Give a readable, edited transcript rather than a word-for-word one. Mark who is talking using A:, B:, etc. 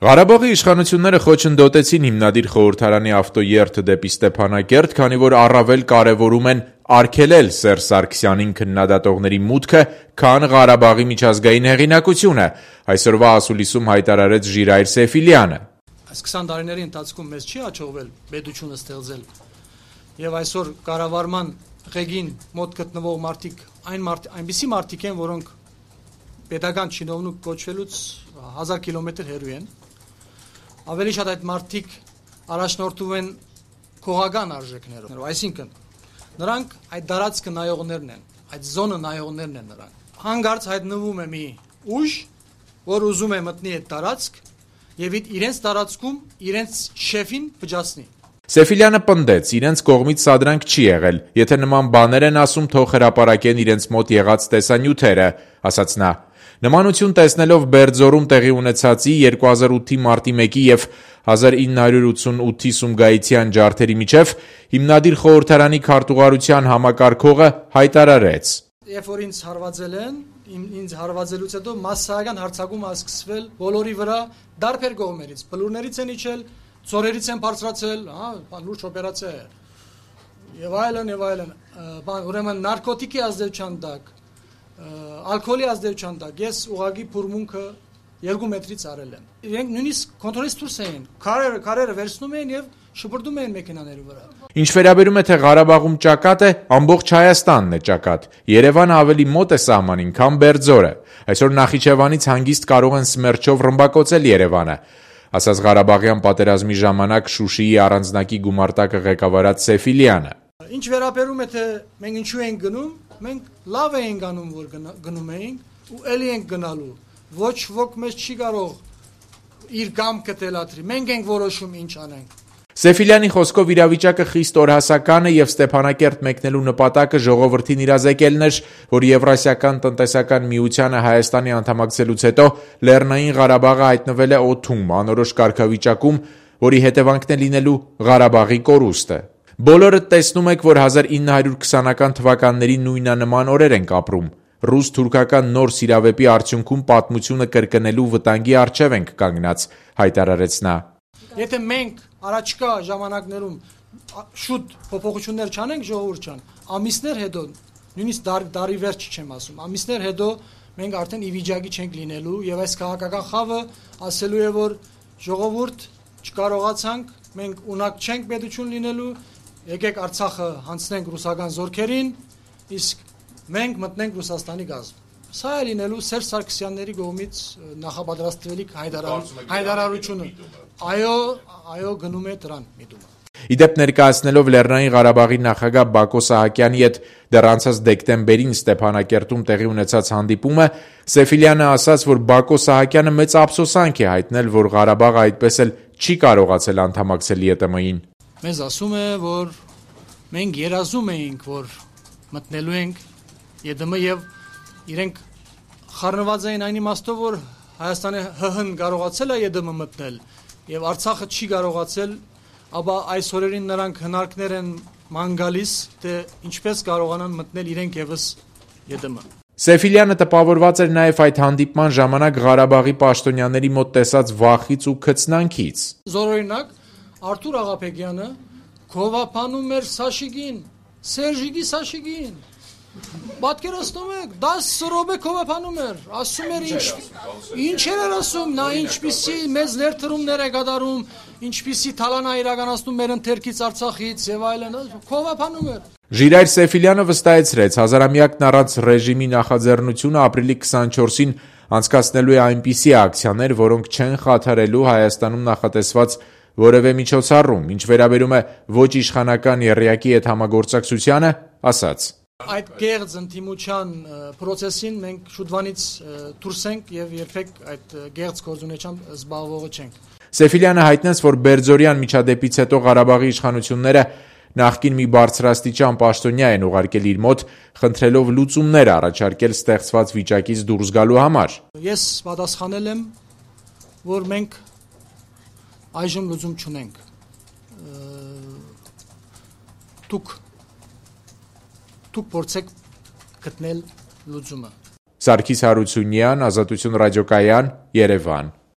A: Ղարաբաղի իշխանությունները խոչընդոտեցին հիմնադիր խորհրդարանի ավտոերթը դեպի Ստեփանակերտ, քանի որ առավել կարևորում են արգելել Սերժ Սարգսյանին քննադատողների մուտքը, քան Ղարաբաղի միջազգային հեղինակությունը, այսօրվա ասուլիսում հայտարարեց Ժիրայր Սեֆիլյանը։
B: Այս 20 տարիների ընթացքում մեզ չի հաջողվել պետությունը ստեղծել, եւ այսօր կառավարման ղեկին մոտ գտնվող մարդիկ այնպիսի մարդիկ են, որոնք պետական չինովնիկ կոչվելուց 1000 կիլոմետր հեռու են։ Ավելի շատ այդ մարդիկ առաջնորդում են քողական արժեքներով, այսինքն նրանք այդ դարածքը նայողներն են, այդ զոնը նայողներն են նրանք։ Հանգարց հայտնվում է մի ուժ, որ ուզում է մտնի այդ դարածք եւ իրենց դարածքում իրենց շեֆին վճացնի։
A: Սեֆիլյանը պնդեց, իրենց կողմից սադրանք չի եղել, եթե նման բաներ են ասում, թող հրապարակեն իրենց մոտ եղած տեսանյութերը, ասաց նա։ Նմանություն տեսնելով Բերձորում տեղի ունեցածի 2008-ի մարտի 1-ի եւ 1988-ի Սումգայիթյան ջարդերի միջև հիմնադիր խորհրդարանի քարտուղարության համակարգողը հայտարարեց.
B: Երբ որ ինձ հարվածել են, ինձ հարվածելուց հետո մասսայական հարձակում ա սկսվել բոլորի վրա դարբեր կողմերից, բլուրներից են իջել, ծորերից են բարձրացել, լուրջ օպերացիա է, եւ այլն, ուրեմն նարկոտիկի ազդեցության տակ, ալկոհոլի ազդեցության տակ, ես ուղղակի փուրմունքը 2 մետրից արել եմ։ Իրենք նույնիսկ կոնտրոլից դուրս էին, քարերը վերցնում էին եւ շպրտում էին մեքենաների վրա։
A: Ինչ վերաբերում է թե Ղարաբաղում ճակատ է, ամբողջ Հայաստանն է ճակատ։ Երևանը ավելի մոտ է սահմանին, քան Բերձորը։ Այսօր Նախիջևանից հանգիստ կարող են սմերչով ռմբակոծել Երևանը, ասաց Ղարաբաղյան պատերազմի ժամանակ Շուշիի առանձնակի գումարտակը ղեկավարած Սեֆիլյանը։
B: Ինչ վերաբերում է թե մենք ինչու ենք գնում, մենք լավ ենք անում, որ գնում ենք ու ելի ենք գնալու։ Ոչ ոք մեզ չի կարող իր կամքը թելադրի։ Մենք ենք որոշում ինչ անենք։
A: Սեֆիլյանի խոսքով իրավիճակը խիստ օրհասական է եւ Ստեփանակերտ մեկնելու նպատակը ժողովրդին իրազեկելն էր, որ Եվրասիական տնտեսական միությանը Հայաստանի անդամակցելուց հետո Լեռնային Ղարաբաղը հայտնվել է օդում, անորոշ կարգավիճակում, որի հետևանքն է լինելու Ղարաբաղի կորուստը։ Բոլորը տեսնում եք, որ 1920-ական թվականների նույնանման օրեր ենք ապրում։ Ռուս-թուրքական նոր սիրավեպի արդյունքում պատմությունը կրկնելու վտանգի առջև ենք կանգնած, հայտարարեց նա։
B: Եթե մենք առաջկա ժամանակներում շուտ փոփոխություններ չանենք ժողովուրդ ջան, ամիսներ հետո, նույնիսկ դարի վերջ չեմ ասում, ամիսներ հետո մենք արդեն ի վիճակի չենք լինելու եւ այս քաղաքական խավը ասելու է, որ ժողովուրդ չկարողացանք, մենք ունակ չենք պետություն լինելու, եկեք Արցախը հանձնենք ռուսական զորքերին, իսկ մենք մտնենք Ռուսաստանի կազմ։ Սա է լինելու Սերժ Սարգսյանների կողմից նախապատրաստվելիք հայտարարությունը։ Այո, գնում է դրան միտումը։
A: Իդեպ ներկայացնելով Լեռնային Ղարաբաղի նախագահ Բակո Սահակյանի հետ դեռ անցած դեկտեմբերին Ստեփանակերտում տեղի ունեցած հանդիպումը, Սեֆիլյանը ասաց, որ Բակո Սահակյանը մեծ ափսոսանք է հայտնել, որ Ղարաբաղը այդպես էլ չի կարողացել անդամակցել ԵՏՄ-ին։
B: Մեզ ասում է, որ մենք երազում էինք, որ մտնելու ենք ԵՏՄ եւ իրենք խառնված էին այն իմաստով, որ Հայաստանը ՀՀ-ն կարողացել է ԵՏՄ մտնել եւ Արցախը չի կարողացել, ապա այս օրերին նրանք հնարքներ են ման գալիս, թե ինչպես կարողանան մտնել իրենք եւս ԵՏՄ։
A: Սեֆիլյանը տպավորված էր նաև այդ հանդիպման ժամանակ Ղարաբաղի պաշտոնյաների մոտ տեսած վախից ու քծնանքից։
B: Զորօրինակ Արթուր Աղաբեկյանը քովափանում էր Սաշիգին, Սերժիկի Սաշիգին։ Պատկերացնում եք, 10 րոպե քովափանում էր, ասում էր ինչ էր ասում, նա ինչպիսի մեծ ներդրումներ է կատարում, ինչպիսի թալան է իրականացնում մեր ընթերքից Արցախից եւ այլն, քովափանում էր։
A: Ժիրայր Սեֆիլյանը վստահեցրեց, հազարամյակն առանց ռեժիմի նախաձեռնությունը ապրիլի 24-ին անցկացնելու է այնպիսի ակցիաներ, որոնք չեն խաթարելու Հայաստանում նախատեսված որևէ միջոցառում, ինչ վերաբերում է ոչ իշխանական եռյակի հետ համագործակցությանը, ասաց.
B: Այդ գեղձ ընդդիմության process-ին մենք շուտվանից դուրս ենք եւ երբեք այդ գեղձ գործունեությամբ զբաղվողը չենք։
A: Սեֆիլյանը հայտնեց, որ Բերձորյան միջադեպից հետո Ղարաբաղի իշխանությունները նախկին մի բարձրաստիճան պաշտոնյա են ուղարկել իր մոտ, խնդրելով լուծումներ առաջարկել ստեղծված վիճակից դուրս գալու համար։
B: Ես պատասխանել եմ, որ մենք այժմ լուծում չունենք։ Դուք փորձեք գտնել լուծումը։
A: Սարգիս Հարությունյան, Ազատություն ռադիոկայան, Երևան։